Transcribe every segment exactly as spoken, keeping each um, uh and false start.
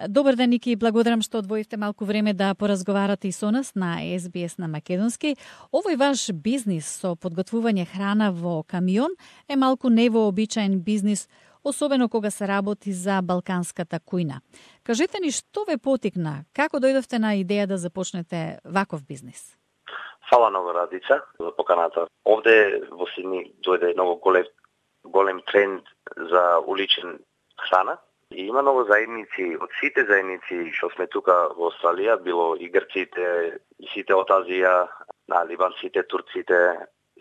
Добар ден, Ники, благодарам што одвоивте малку време да поразговарате и со нас на Ес Би Ес на македонски. Овој ваш бизнис со подготвување храна во камион е малку невообичаен бизнис, особено кога се работи за балканската кујна. Кажете ни што ве потикна, како дојдовте на идеја да започнете ваков бизнис? Фала многу, Радица, за поканата. Овде во Сидни дојде многу голем, голем тренд за уличен храна. И има многу заедници, од сите заедници што сме тука во Австралија, било и грците, и сите од Азија, на либанците, турците,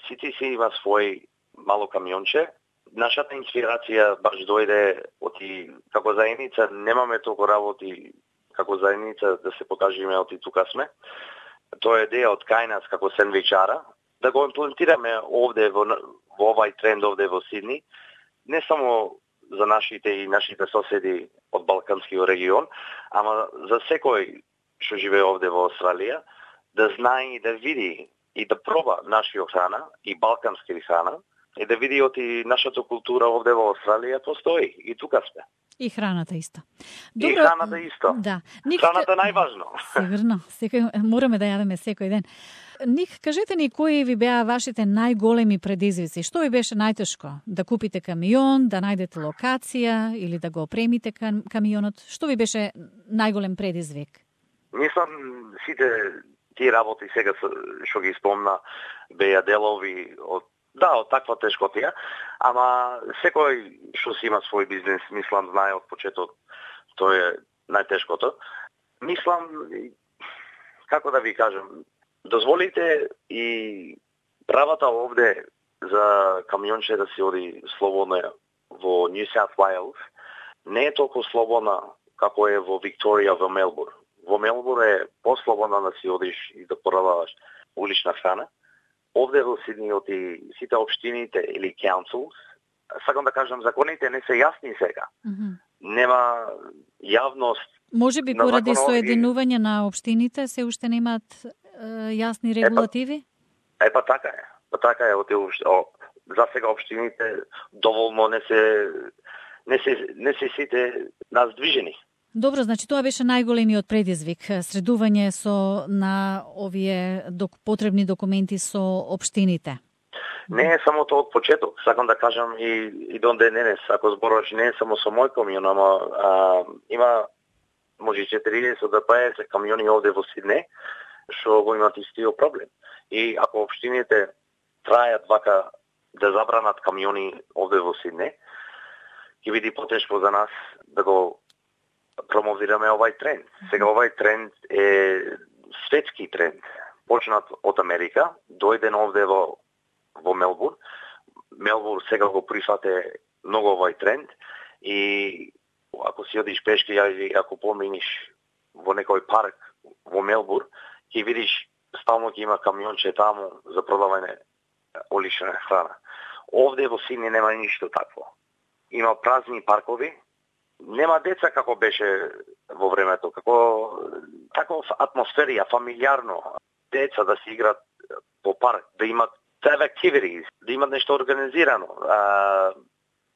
сите си има свој мало камионче. Нашата инспирација баш дојде од и како заедница, немаме толку работи како заедница да се покажеме од и тука сме. Тоа е идеја од кај нас како сендвичара, да го имплементираме овде во, во овај тренд овде во Сидни, не само за нашите и нашите соседи од балканскиот регион, ама за секој што живее овде во Австралија, да знае и да види и да проба нашиот храна и балкански храна, и да види од и нашата култура овде во Австралија постои, и тука сме. И храната исто. Добро, и храната исто. Да. Ник... Храната најважно. Сигурно. Секој, мораме да јадеме секој ден. Ник, кажете ни кои ви беа вашите најголеми предизвици? Што ви беше најтешко? Да купите камион, да најдете локација или да го опремите камионот? Што ви беше најголем предизвик? Мислам, сите тие работи сега што ги спомна беа делови од да, од таква тешкотија, ама секој што си има свој бизнес, мислам, знае од почеток, тоа е најтешкото. Мислам, како да ви кажам, дозволите и правата овде за камионче да си оди слободно во Нью Саут Уејлс не е толку слободна како е во Викторија, во Мелбурн. Во Мелбурн е послободна да си одиш и да продаваш улична храна. Овде во Сидни од и сите општините или councils, сакам да кажам, законите не се јасни сега. Mm-hmm. Нема јавност. Може би поради соединување на општините се уште немаат е, јасни регулативи? Е, па така е. Па така е. Од за сега општините доволно не се не се не се сите наздвижени. Добро, значи тоа беше најголемиот предизвик, средување со на овие док, потребни документи со општините. Не е само тоа од почеток, сакам да кажам и и до денес, ако зборуваш не е само со мој камион, ама а, има може четириесет до петдесет камиони овде во Сидне што го имаат истиот проблем. И ако општините трајат вака да забранат камиони овде во Сидне, ќе биде потешко за нас да го промовираме овај тренд. Сега овај тренд е светски тренд. Почнат од Америка, дојден овде во во Мелбурн. Мелбурн сега го прифате многу овај тренд и ако си одиш пешки или ако поминиш во некој парк во Мелбурн, ќе видиш стално ќе има камионче таму за продавање улична храна. Овде во Сидни нема ништо такво. Има празни паркови. Нема деца како беше во времето, како таков атмосферија, фамилиарно. Деца да се играат по парк, да имат activities, да имат нешто организирано. А,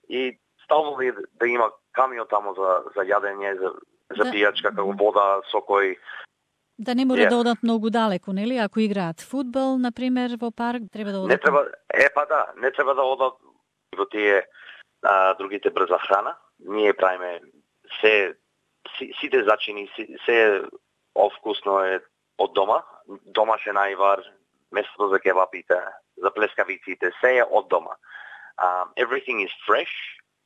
и стално да има камион тамо за, за јадење, за, за да, пијачка, како вода, сокој. Да не мора yeah. да одат многу далеку, нели? Ако играат фудбал, например, во парк, треба да одат. Не треба, е па да, не треба да одат во тие а, другите брза храна. Ние правиме се сите зачини, се овкусно е од дома, домашен ајвар, местото за кебапите, за плескавиците, се е од дома. Um, everything is fresh,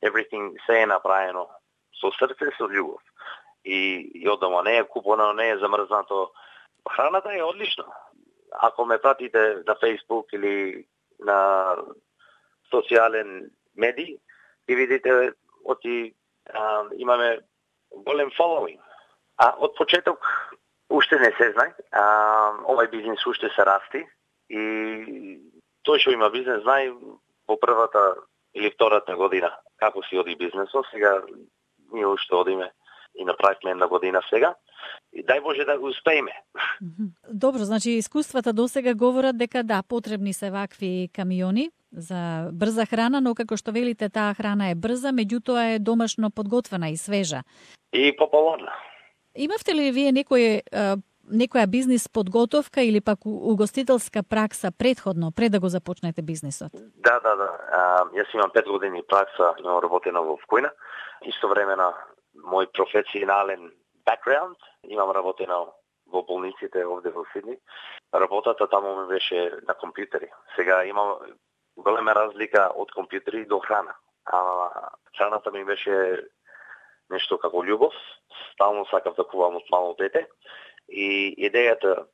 everything се е направено со срце, со љубов. И, и од дома не е купено, не е замрзнато. Храната е одлична. Ако ме пратите на Facebook или на социјален медиј, ќе видите оти а, имаме голем following. А од почеток уште не се знае. А, овај бизнес уште се расти и тој што има бизнес знае во првата или втората година како си оди бизнесот. Сега ние уште одиме и направивме една година сега. И дај Боже да го успееме. Добро, значи искуствата досега говорат дека да, потребни се вакви камиони за брза храна, но како што велите, таа храна е брза, меѓутоа е домашно подготвена и свежа. И популарна. Имавте ли вие некој некоја бизнис подготовка или пак угостителска пракса предходно, пред да го започнете бизнисот? Да, да, да. А, јас имам пет години пракса, имам работено во Вкојна. Истовремено, мој професионален бекграунд, имам работено во болниците овде во Сидни. Работата таму ми беше на компјутери. Сега имам голема разлика од компјутери до храна. А храната ми беше нешто како љубов. Стално сакав да кувам од мало дете. И идејата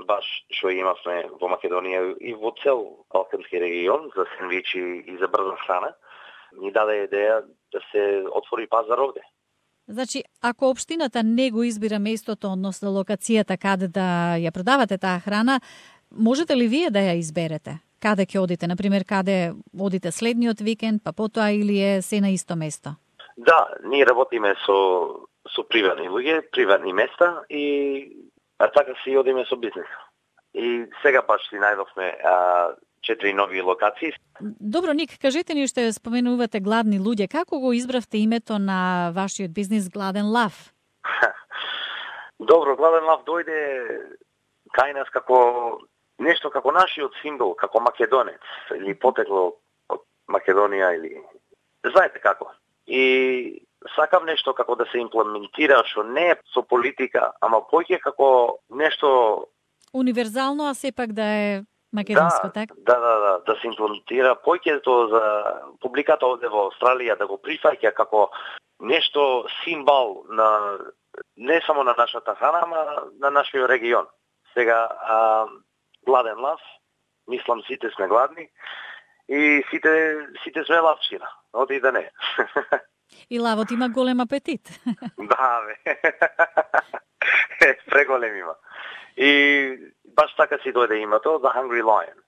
баш што имавме во Македонија и во цел Балкански регион за сендвичи и за брза храна, ни даде идеја да се отвори пазар овде. Значи, ако општината не го избира местото, односно локацијата каде да ја продавате таа храна, можете ли вие да ја изберете? Каде ќе одите? Например, каде одите следниот викенд, па потоа или е се на исто место? Да, ние работиме со со приватни луѓе, приватни места и а така си одиме со бизнес. И сега баш си најдовме а, четири нови локации. Добро, Ник, кажете ни што споменувате гладни луѓе. Како го избравте името на вашиот бизнис Гладен лав? Добро, Гладен лав дојде кај нас како нешто како нашиот символ, како македонец, или потекло од Македонија, или знаете како. И сакав нешто како да се имплементира, што не е со политика, ама поќе како нешто универзално, а сепак да е македонско, да, така? Да, да, да, да се имплементира поќето за публиката овде во Австралија, да го прифаќа како нешто символ на не само на нашата храна, ама на нашиот регион. Сега, а, Гладен лав, мислам сите сме гладни и сите сите сме лавчина, оди да не. И лавот има голем апетит. Да, бе. Преголем има. И баш така си дојде името The Hungry Lion.